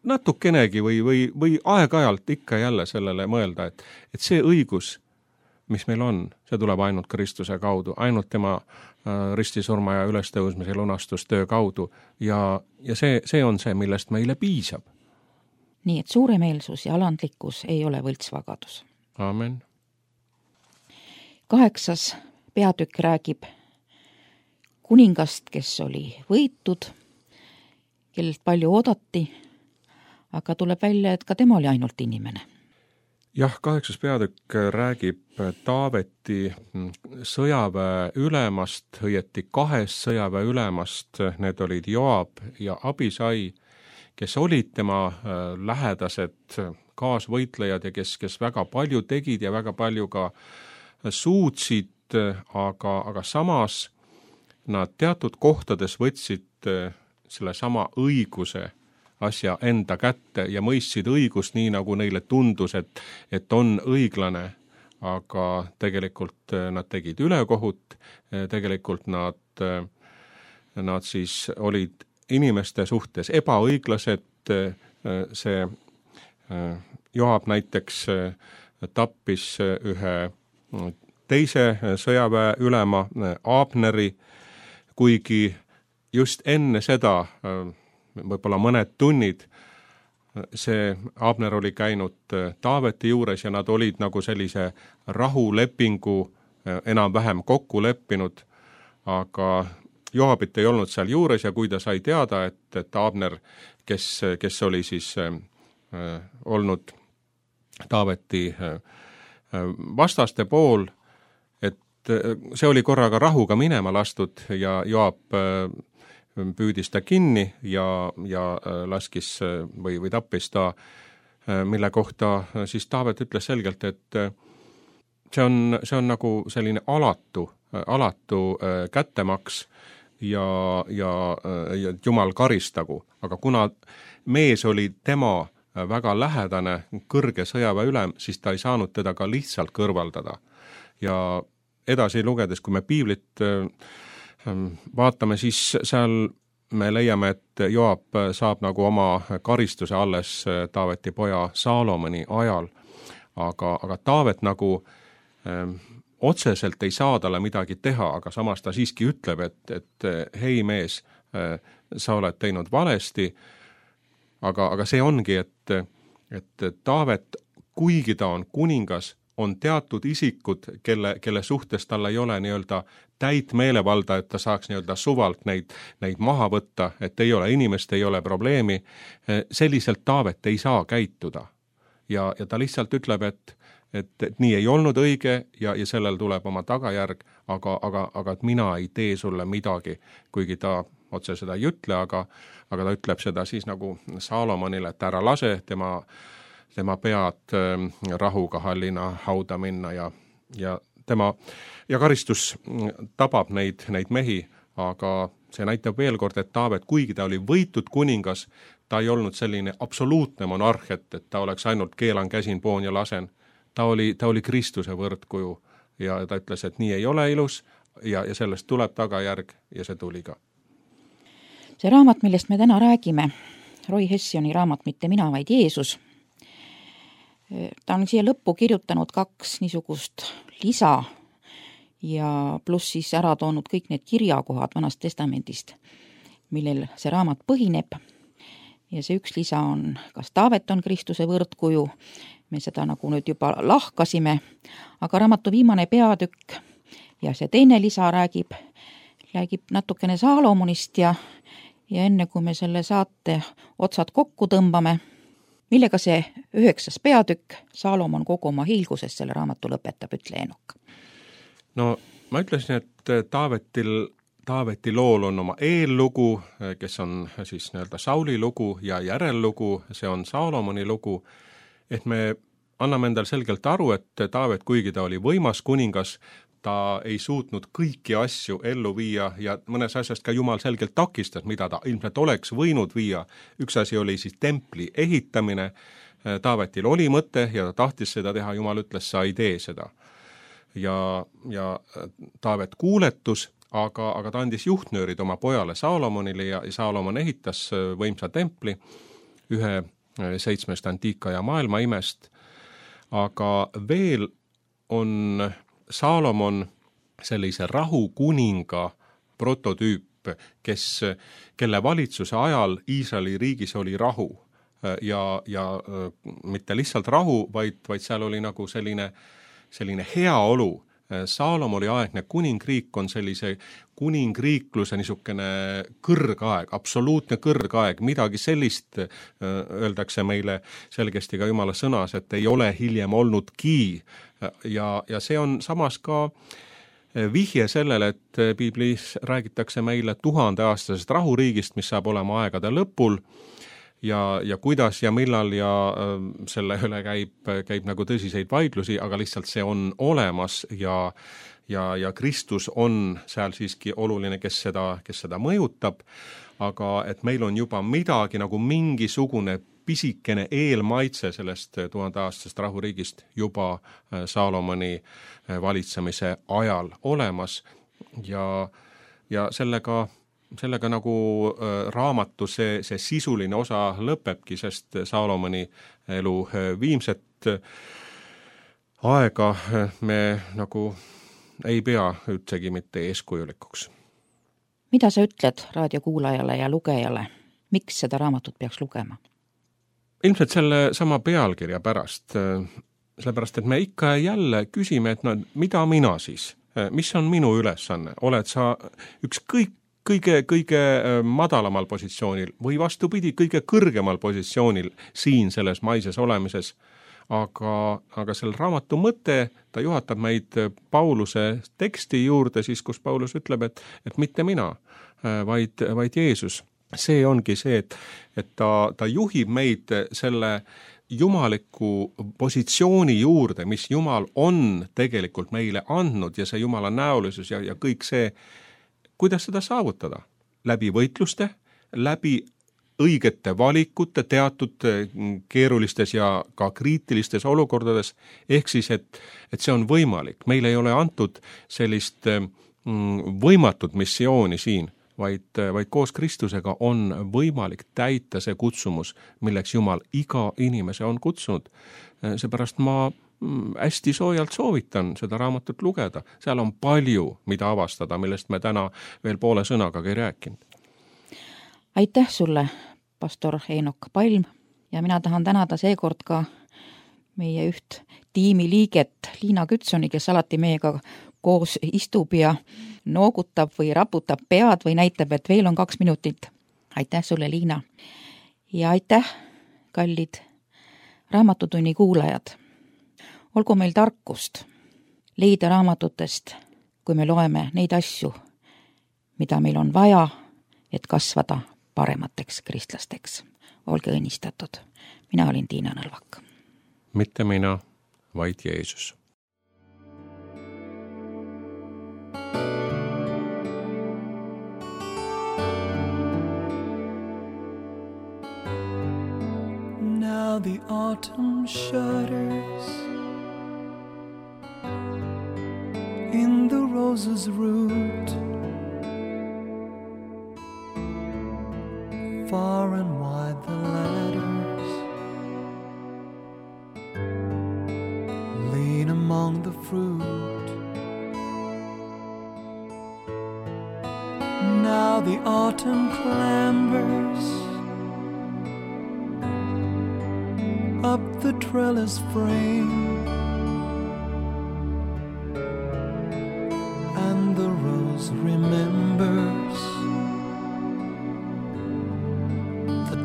natukenegi või aeg-ajalt ikka jälle sellele mõelda, et see õigus, mis meil on, see tuleb ainult Kristuse kaudu, ainult tema ristisurma ja ülestõusmise lunastustöö kaudu ja see on see, millest meile piisab. Nii et suuremeelsus ja alandlikkus ei ole võltsvagadus. Amen. 8. peatükk räägib kuningast, kes oli võitud, kellelt palju oodati, aga tuleb välja, et ka tema oli ainult inimene. Jah, 8. peatükk räägib Taaveti sõjaväe ülemast, õieti 2 sõjaväe ülemast, need olid Joab ja Abisai, kes olid tema lähedased kaasvõitlejad ja kes väga palju tegid ja väga palju ka suutsid, aga samas nad teatud kohtades võtsid selle sama õiguse asja enda kätte ja mõistsid õigust nii, nagu neile tundus, et on õiglane, aga tegelikult nad tegid ülekohut, tegelikult nad siis olid inimeste suhtes ebaõiglased, see Joab näiteks tappis ühe teise sõjaväe ülema Abneri, kuigi just enne seda võib-olla mõned tunnid see Abner oli käinud Taaveti juures ja nad olid nagu sellise rahulepingu enam-vähem kokku leppinud, aga Joabit ei olnud seal juures ja kui ta sai teada, et Abner, kes oli siis olnud Taaveti vastaste pool, et see oli korraga rahuga minema lastud ja Joab püüdis ta kinni ja laskis või tappis ta, mille kohta siis Taavet ütles selgelt, et see on nagu selline alatu kättemaks ja Jumal karistagu, aga kuna mees oli tema väga lähedane kõrge sõjaväe ülem, siis ta ei saanud teda ka lihtsalt kõrvaldada. Ja edasi lugedes, kui me piiblit vaatame, siis seal me leiame, et Joab saab nagu oma karistuse alles Taaveti poja Saalomoni ajal, aga Taavet nagu otseselt ei saa talle midagi teha, aga samas ta siiski ütleb, et hei mees, sa oled teinud valesti, aga see ongi, et Taavet, kuigi ta on kuningas, on teatud isikud, kelle suhtes tal ei ole nii-öelda täit meelevalda, et ta saaks nii-öelda suvalt neid maha võtta, et ei ole inimest, ei ole probleemi. Selliselt Taavet ei saa käituda. Ja ta lihtsalt ütleb, et nii ei olnud õige ja sellel tuleb oma tagajärg, aga et mina ei tee sulle midagi, kuigi ta otse seda ei ütle, aga ta ütleb seda siis nagu Saalomonile, et ära lase tema pead rahuga hallina hauda minna ja karistus tabab neid mehi, aga see näitab veel kord, et Taavet, kuigi ta oli võitud kuningas, ta ei olnud selline absoluutne monarh, et ta oleks ainult keelan, käsin, poon ja lasen. Ta oli Kristuse võrdkuju ja ta ütles, et nii ei ole ilus ja sellest tuleb tagajärg ja see tuli ka. See raamat, millest me täna räägime, Roy Hessioni raamat Mitte mina, vaid Jeesus, ta on siia lõppu kirjutanud 2 niisugust lisa ja pluss siis ära toonud kõik need kirjakohad Vanast Testamendist, millel see raamat põhineb. Ja see üks lisa on, kas Taavet on Kristuse võrdkuju, me seda nagu nüüd juba lahkasime, aga raamatu viimane peatükk ja see teine lisa räägib natukene Saalomonist ja enne kui me selle saate otsad kokku tõmbame, millega see 9. peatükk Saalomon kogu oma hiilguses selle raamatu lõpetab, ütle Eenok. No ma ütlesin, et Taaveti lool on oma eellugu, kes on siis nii-öelda Sauli lugu ja järellugu, see on Saalomoni lugu, et me anname endal selgelt aru, et Taavet, kuigi ta oli võimas kuningas, ta ei suutnud kõiki asju ellu viia ja mõnes asjast ka Jumal selgelt takistas, mida ta ilmselt oleks võinud viia. Üks asi oli siis templi ehitamine, Taavetil oli mõte ja ta tahtis seda teha, Jumal ütles, sa ei tee seda. Ja Taavet kuuletus, aga ta andis juhtnöörid oma pojale Saalomonile ja Saalomon ehitas võimsa templi, ühe 7 antiika ja maailma imest, aga veel on Saalomon sellise rahukuninga prototüüp, kelle valitsuse ajal Iisraeli riigis oli rahu ja mitte lihtsalt rahu, vaid seal oli nagu selline heaolu. Saalomoni aegne kuningriik on sellise kuningriikluse niisugune kõrgaeg, absoluutne kõrgaeg, midagi sellist öeldakse meile selgesti ka Jumala sõnas, et ei ole hiljem olnudki. Ja see on samas ka vihje sellele, et piiblis räägitakse meile 1000-aastasest rahuriigist, mis saab olema aegade lõpul ja kuidas ja millal ja selle üle käib nagu tõsiseid vaidlusi, aga lihtsalt see on olemas ja Kristus on seal siiski oluline, kes seda mõjutab, aga et meil on juba midagi nagu mingisugune pisikene eelmaitse sellest 1000-aastasest rahuriigist juba Saalomoni valitsemise ajal olemas ja sellega nagu raamatu see sisuline osa lõpebki, sest Saalomoni elu viimset aega me nagu ei pea üldsegi mitte eeskujulikuks. Mida sa ütled raadiokuulajale ja lugejale? Miks seda raamatut peaks lugema? Ilmselt selle sama pealkirja pärast, sellepärast, et me ikka jälle küsime, et mida mina siis? Mis on minu ülesanne? Oled sa ükskõik kõige madalamal positsioonil või vastupidi, kõige kõrgemal positsioonil siin selles maises olemises. Aga selle raamatu mõte, ta juhatab meid Pauluse teksti juurde siis, kus Paulus ütleb, et mitte mina, vaid Jeesus. See ongi see, et ta juhib meid selle jumaliku positsiooni juurde, mis Jumal on tegelikult meile andnud ja see Jumala näolisus ja kõik see, kuidas seda saavutada? Läbi võitluste, läbi õigete valikute teatud keerulistes ja ka kriitilistes olukordades, ehk siis, et see on võimalik. Meil ei ole antud sellist võimatut missiooni siin, vaid koos Kristusega on võimalik täita see kutsumus, milleks Jumal iga inimese on kutsunud. Seepärast ma hästi soojalt soovitan seda raamatut lugeda. Seal on palju, mida avastada, millest me täna veel poole sõnaga ei rääkinud. Aitäh sulle, pastor Eenok Palm, ja mina tahan tänada seekord ka meie üht tiimiliiget Liina Kütsoni, kes alati meiega koos istub ja noogutab või raputab pead või näitab, et veel on 2 minutit. Aitäh sulle, Liina. Ja aitäh, kallid Raamatutunni kuulajad. Olgu meil tarkust leida raamatutest, kui me loeme neid asju, mida meil on vaja, et kasvada paremateks kristlasteks. Olge õnnistatud. Mina olin Tiina Nõlvak. Mitte mina, vaid Jeesus. Now the autumn shudders in the rose's root, far and wide the ladders lean among the fruit. Now the autumn clambers up the trellis frame,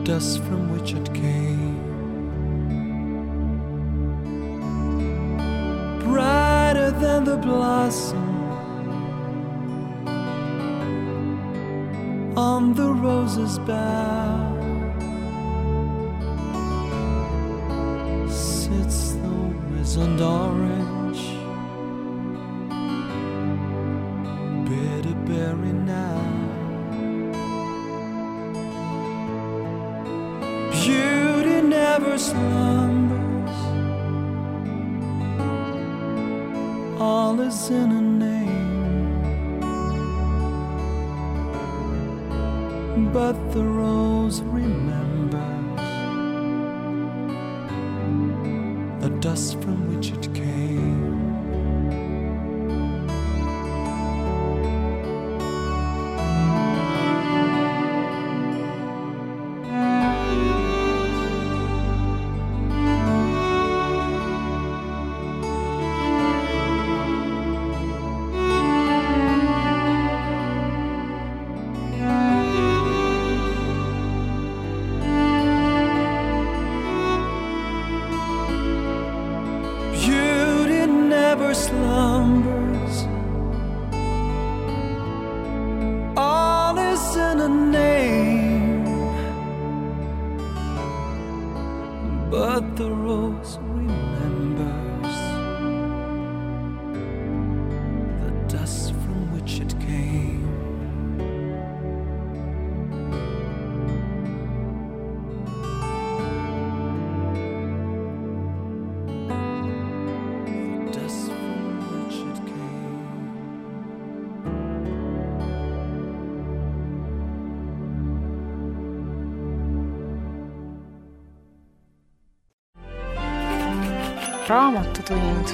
dust from which it came. Brighter than the blossom on the rose's bough sits the wizened orange, bitter berry now. Beauty never slumbers, all is in a name, but the rose remembers the dust from which it came. Slumbers, all is in a name, but the rose remembers the dust from which it came. Raamatutund.